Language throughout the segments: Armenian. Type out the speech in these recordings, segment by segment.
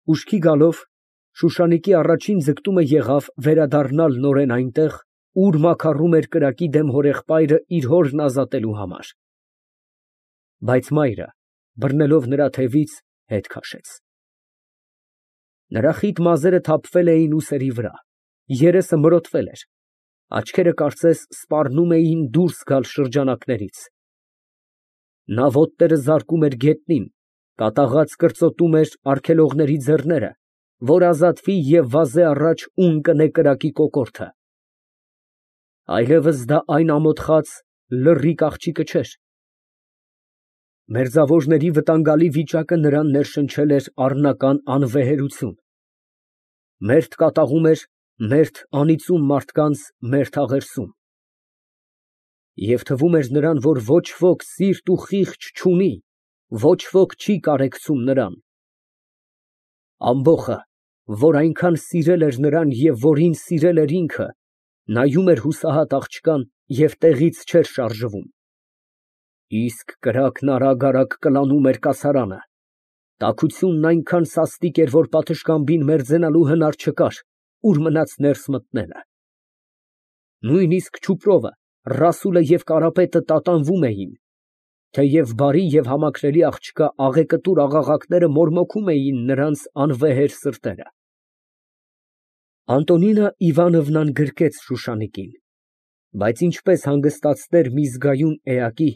Ուշքի գալով, Շուշանիկի առաջին ձգտումը եղավ վերադառնալ նորեն այնտեղ, ուր մաքարում էր կրակի դեմ հորեղբայրը իր հորն ազատելու համար. բայց մայրը, բռնելով նրա թևից, հետ քաշեց։ Նրա խիտ մազերը թափվել էին ուսերի վրա, երեսը մրոտվել էր, աչքերը կարծես սպառնում էին դուրս գալ շրջանակներից։ Նա ոտները զարկում էր գետնին, կատաղած կրծոտում էր արգելողների ձեռները, որ ազատվի և վազե առաջ ուն կնե կրակի կոկորդը։ Այլևս դա այն ամոթխած, լռիկ աղջիկը չէր։ Մերձավորների վտանգալի վիճակը նրան ներշնչել էր առնական անվեհերություն։ Մերթ կատաղում էր մերթ անիծում մարդկանց մերթ աղերսում։ Եվ թվում էր նրան, որ ոչ ոք սիրտ ու խիղճ չունի, ոչ ոք չի կարեկցում նրան։ Ամբոխը, որ այնքան սիրել էր նրան և որին սիրել էր ինքը, նայում էր հուսահատ աղջկան և տեղից չէր շարժվում։ Իսկ կրակն արագ կլանում էր կասարանը։ Տաքությունն այնքան սաստիկ էր, որ պատշգամբին մերձենալու հնար չկար, ուր մնաց ներս մտնելը։ Նույնիսկ Չուպրովը, Ռասուլը և Կարապետը տատանվում էին, թեև բարի և համակրելի աղջկա աղեկտուր աղաղակները մորմոքում էին նրանց անվեհեր սրտերը։ Անտոնինա Իվանովնան գրկեց Շուշանիկին, բայց ինչպես հանգստացներ մի զգայուն էակի,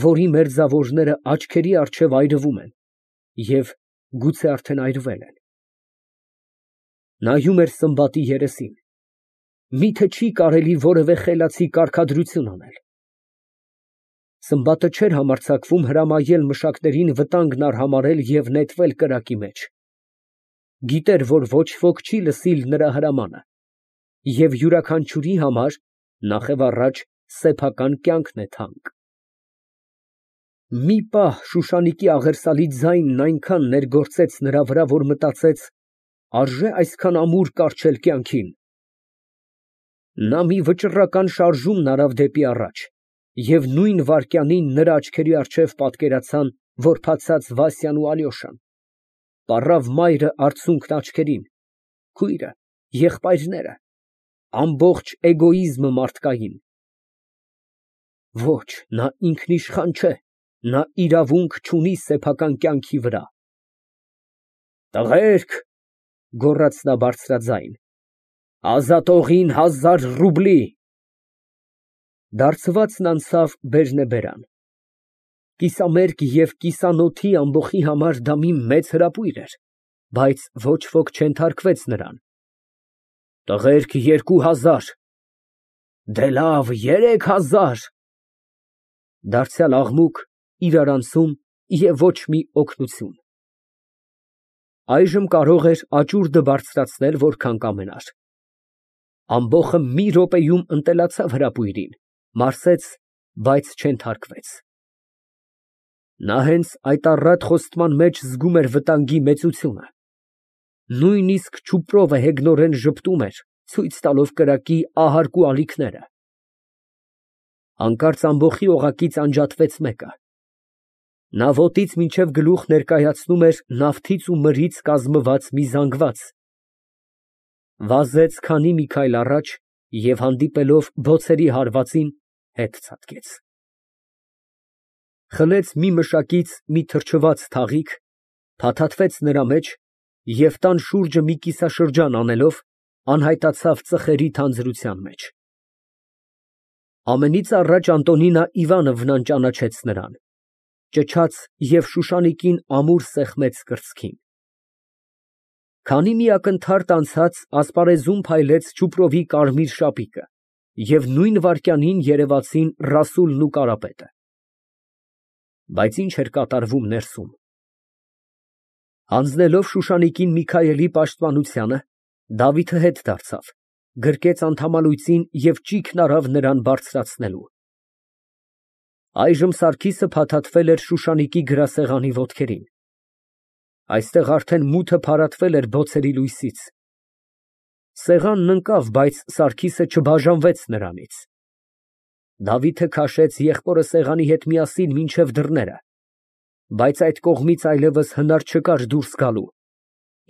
որի մերձավորները աչքերի առջև այրվում են և գուցե արդեն այրվել են։ Նայում էր Սմբատի երեսին, միթե չի կարելի որևէ խելացի կարգադրություն անել։ Սմբատը չէր համարձակվում հրամայել մշակներին վտանգն արհամարհել և նետվել կրակի մեջ։ Գիտեր, որ ոչ ոք չի լսիլ նրա հրամանը, և յուրաքանչյուրի համար, նախևառաջ, սեփական կյանքն է թանկ։ Մի պահ Շուշանիկի աղերսալի ձայնն այնքան ներգործեց նրա վրա, որ մտածեց. արժե այսքան ամուր կառչել կյանքին։ Նա մի վճռական շարժումն արավ դեպի առաջ, և նույն վայրկյանին նրա աչքերի առջև պատկերացան որբացած Վասյան ու Ալյոշան, պառավ մայրը արցունքն աչքերին, քույրը, եղբայրները, ամբողջ էգոիզմը մարդկային։ Ոչ, նա ինքնիշխան չէ, նա իրավունք չունի սեփական կյանքի վրա։ Տղերք, գոռաց նա բարձրաձայն, ազատողին 1000 ռուբլի։ Դարձվածն անցավ բերնեբերան։ Կիսամերկ և կիսանոթի ամբոխի համար դա մի մեծ հրապույր էր, բայց ոչ ոք չենթարկվեց նրան։ Տղերք, 2000։ Դե լավ, 3000։ Դարձյալ աղմուկ, իրարանցում և ոչ մի օգնություն։ Այժմ կարող էր աճուրդը բարձրացնել որքան կամենար։ Ամբոխը մի րոպեում ընտելացավ հրապույրին, մարսեց, բայց չենթարկվեց։ Նա հենց այդ առատ խոստման մեջ զգում էր վտանգի մեծությունը։ Նույնիսկ Չուպրովը հեգնորեն ժպտում էր, ցույց տալով կրակի ահարկու ալիքները։ Հանկարծ ամբոխի օղակից անջատվեց մեկը։ Նա ոտից մինչև գլուխ ներկայացնում էր նավթից ու մրից կազմված մի զանգված։ Վազեց քանի մի քայլ առաջ և հանդիպելով բոցերի հարվածին, հետ ցատկեց։ Խլեց մի մշակից մի թրջված թաղիք, փաթաթվեց նրա մեջ և տան շուրջը մի կիսաշրջան անելով, անհայտացավ ծխերի թանձրության մեջ։ Ամենից առաջ Անտոնինա Իվանովնան ճանաչեց նրան, ճչաց և Շուշանիկին ամուր սեղմեց կրծքին։ Քանի մի ակնթարթ անցած ասպարեզում փայլեց Չուպրովի կարմիր շապիկը, և նույն վայրկյանին երևացին Ռասուլն ու Կարապետը։ Բայց ինչ էր կատարվում ներսում։ Հանձնելով Շուշանիկին Միքայելի պաշտպանությանը, Դավիթը հետ դարձավ, գրկեց անդամալույծին և ճիգն արավ նրան բարձրացնելու։ Այժմ Սարգիսը փաթաթվել էր Շուշանիկի գրասեղանի ոտքերին։ Այստեղ արդեն մութը փարատվել էր բոցերի լույսից։ Սեղանն ընկավ, բայց Սարգիսը չբաժանվեց նրանից։ Դավիթը քաշեց եղբորը սեղանի հետ միասին մինչև դռները, բայց այդ կողմից այլևս հնար չկար դուրս գալու։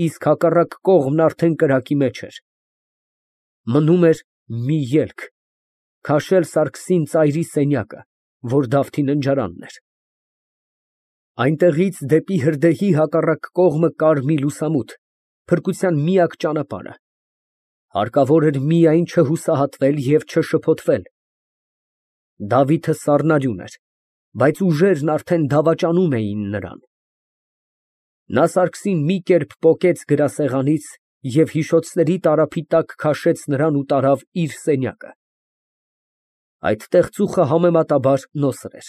իսկ հակառակ կողմն արդեն կրակի մեջ էր։ Մնում էր մի ելք, քաշել Սարգսին ծայրի սենյակը, որ Դավթի ննջարանն էր։ Այնտեղից դեպի հրդեհի հակառակ կողմը կար մի լուսամուտ, փրկության միակ ճանապարհը։ Հարկավոր էր միայն չհուսահատվել և չշփոթվել։ Դավիթը սառնարյուն էր, բայց ուժերն արդեն դավաճանում էին նրան։ Նա Սարգսին մի կերպ պոկեց գրասեղանից և հիշոցների տարափի տակ քաշեց նրան ու տարավ իր սենյակը։ Այդտեղ ծուխը համեմատաբար նոսր էր։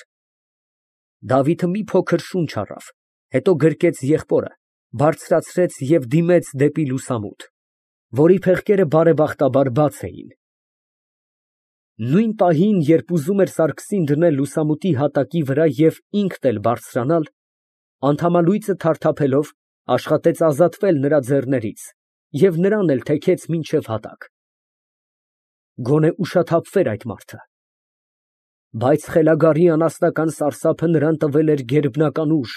Դավիթը մի փոքր շունչ առավ, հետո գրկեց եղբորը, բարձրացրեց և դիմեց դեպի լուսամուտ, որի փեղկերը բարեբախտաբար բաց էին։ Նույն պահին, երբ ուզում էր Սարգսին դնել լուսամուտի հատակի վրա և ինքն էլ բարձրանալ, անթամալույծը թարթափելով աշխատեց ազատվել նրա ձեռներից և նրան էլ թեքեց մինչև հատակ։ Գոնե ուշաթափվեր այդ մարդը։ Բայց խելագարի անասնական սարսափը նրան տվել էր գերբնական ուժ։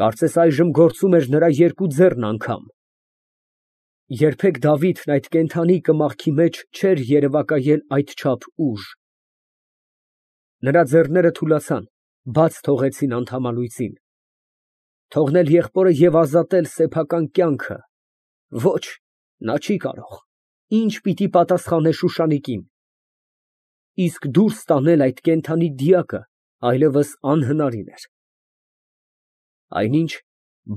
Կարծես այժմ գործում էր նրա երկու ձեռն անգամ։ Երբեք Դավիթն այդ կենդանի կմախքի մեջ չէր երևակայել այդչափ ուժ։ Նրա ձեռները թուլացան, բաց թողեցին անթամալույծին։ Թողնել եղբորը և ազատել սեփական կյանքը։ Ոչ, նա չի կարող։ Ինչ պիտի պատասխանե Շուշանիկին։ Իսկ դուրս տանել այդ կենդանի դիակը այլևս անհնարին էր։ Այնինչ,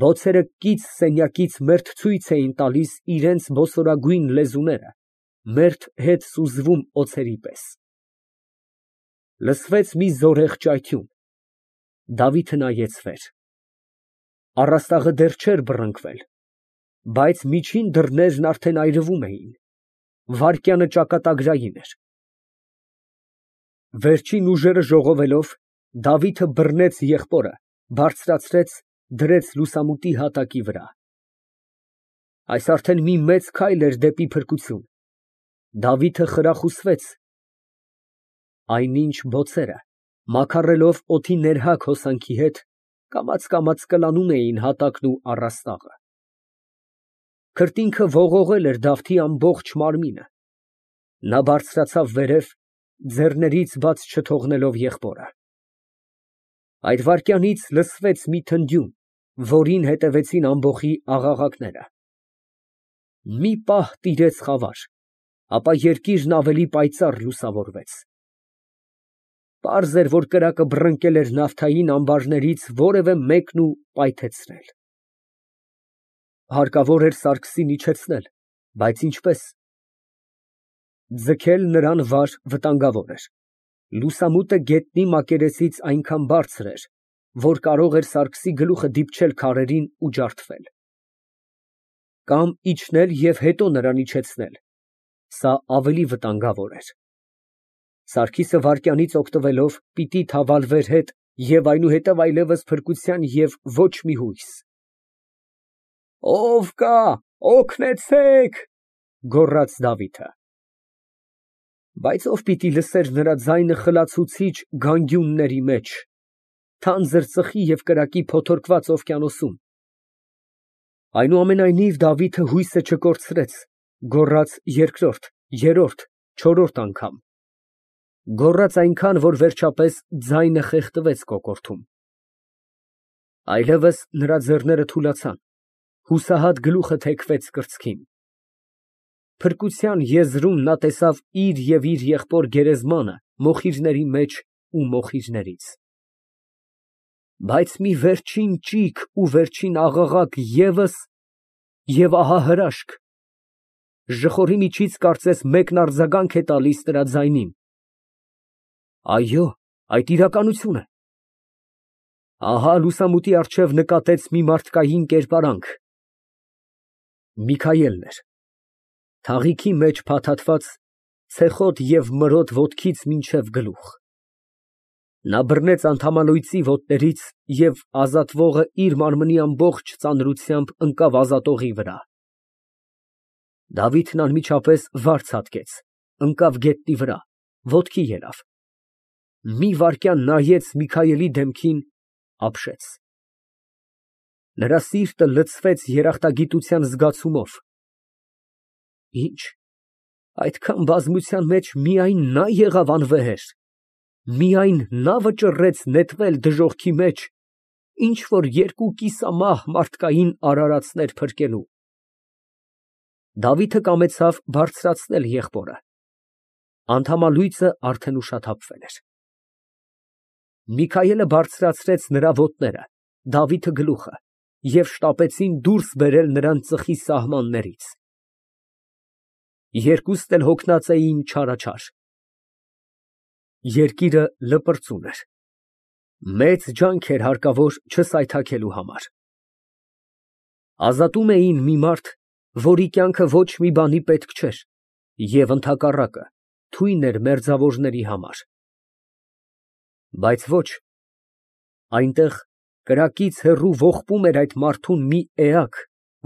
բոցերը կից սենյակից մերթ ցույց էին տալիս իրենց բոսորագույն լեզուները, մերթ հետ սուզվում օձերի պես։ Լսվեց մի զորեղ ճայթյուն։ Դավիթը նայեց վեր։ Առաստաղը դեռ չէր բռնկվել, բայց միջին դռներն արդեն այրվում էին։ Վայրկյանը ճակատագրային էր։ Վերջին ուժերը ժողովելով, Դավիթը բռնեց եղբորը, բարձրացրեց, դրեց լուսամուտի հատակի վրա։ Այս արդեն մի մեծ քայլ էր դեպի փրկություն։ Դավիթը խրախուսվեց։ Այնինչ բոցերը, մաքարելով օդի ներհակ հոսանքի հետ, կամաց կլանում էին հատակն ու առաստաղը։ Քրտինքը ողողել էր Դավթի ամբողջ մարմինը։ Նա բարձրացավ վերև, ձեռներից բաց չթողնելով եղբորը։ Այդ վայրկյանից լսվեց մի թնդյուն, որին հետևեցին ամբոխի աղաղակները։ Մի պահ տիրեց խավար, ապա երկիրն ավելի պայծառ լուսավորվեց։ Պարզ էր, որ կրակը բռնկել էր նավթային ամբարներից որևէ մեկն ու պայթեցրել։ Հարկավոր էր Սարգսին իջեցնել, բայց ինչպե՞ս։ Ձգել նրան վար վտանգավոր էր։ Լուսամուտը գետնի մակերեսից այնքան բարձր էր, որ կարող էր Սարգսի գլուխը դիպչել քարերին ու ջարդվել։ Կամ իջնել և հետո նրան իջեցնել, սա ավելի վտանգավոր էր։ Սարգիսը վայրկյանից օգտվելով պիտի թավալվեր հետ և այնուհետև այլևս փրկության և ոչ մի հույս։ «Ո՞վ կա, օգնեցե՜ք», գոռաց Դավիթը։ Բայց ո՞վ պիտի լսեր նրա ձայնը խլացուցիչ գանգյունների մեջ, թանձր ծխի և կրակի փոթորկված օվկիանոսում։ Այնուամենայնիվ Դավիթը հույսը չկորցրեց, գոռաց երկրորդ, երրորդ, չորրորդ անգամ։ Գոռաց այնքան, որ վերջապես ձայնը խեղդվեց կոկորդում։ Այլևս նրա ձեռները թուլացան, հուսահատ գլուխը թեքվեց կրծքին։ Փրկության եզրում նա տեսավ իր և իր եղբոր գերեզմանը մոխիրների մեջ ու մոխիրներից։ Բայց մի վերջին ճիգ ու վերջին աղաղակ ևս, և ահա հրաշք։ Ժխորի միջից կարծես մեկն արձագանք է տալիս նրա ձայնին։ Այո, այդ իրականություն է։ Ահա լուսամուտի առջև նկատեց մի մարդկային կերպարանք։ Միքայելն էր։ Թաղիքի մեջ փաթաթված, ցեխոտ և մրոտ ոտքից մինչև գլուխ։ Նա բռնեց անթամալույծի ոտներից և ազատվողը իր մարմնի ամբողջ ծանրությամբ ընկավ ազատողի վրա։ Դավիթն անմիջապես վար ցատկեց, ընկավ գետնի վրա, ոտքի ելավ։ Մի վայրկյան նայեց Միքայելի դեմքին, ապշեց։ Նրա սիրտը լցվեց երախտագիտության զգացումով։ Ինչ, այդքան բազմության մեջ միայն նա եղավ անվեհեր, միայն նա վճռեց նետվել դժոխքի մեջ, ինչ որ երկու կիսամահ մարդկային արարածներ փրկելու։ Դավիթը կամեցավ բարձրացնել եղբորը։ Անդամալույծը արդեն ուշաթափվել էր։ Միքայելը բարձրացրեց նրա ոտները, Դավիթը գլուխը, և շտապեցին դուրս բերել նրան ծխի սահմաններից։ Երկուսն էլ հոգնած էին չարաչար։ Երկիրը լպրծուն էր։ Մեծ ջանք էր հարկավոր չսայթաքելու համար։ Ազատում էին մի մարդ, որի կյանքը ոչ մի բանի պետք չէր, և ընդհակառակը, թույն էր մերձավորների համար։ Բայց ոչ, այնտեղ կրակից հեռու ողբում էր այդ մարդուն մի էակ,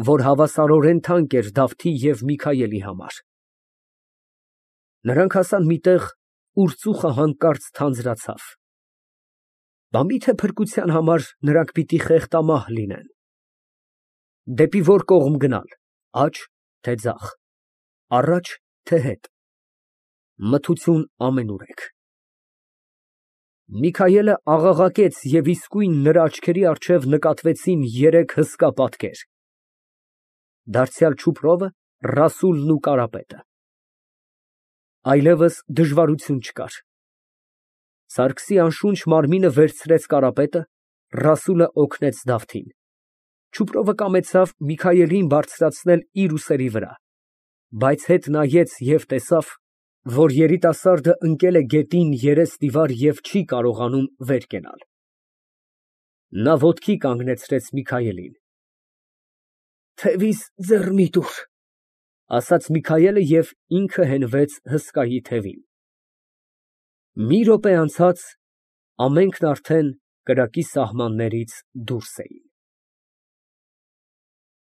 որ հավասարորեն թանկ էր Դավթի և Միքայելի համար։ Նրանք հասան մի տեղ, ուր ծուխը հանկարծ թանձրացավ։ Բա մի՞թե փրկության համար նրանք պիտի խեղդամահ լինեն։ Դեպի որ կողմ գնալ, աջ, թե ձախ, առաջ, թե հետ, մթություն ամենուրեք։ Միքայելը աղաղակեց, և իսկույն նրա աչքերի առջև նկատվեցին երեք հսկա պատկեր. դարձյալ չուփրովը, Ռասուլն ու Կարապետը։ Այլևս դժվարություն չկար։ Սարգսի անշունչ մարմինը վերցրեց Կարապետը, Ռասուլը օգնեց Դավթին։ Չուփրովը կամեցավ Միքայելին բարձրացնել իր ուսերի վրա, բայց հետ նայեց և տեսավ, որ երիտասարդը ընկել է գետին երեսնիվար և չի կարողանում վեր կենալ։ Նա ոտքի կանգնեցրեց Միքայելին։ «Թևիս ձեռ մի տուր», ասաց Միքայելը և ինքը հենվեց հսկայի թևին։ Մի րոպե անցած ամենքն արդեն կրակի սահմաններից դուրս էին։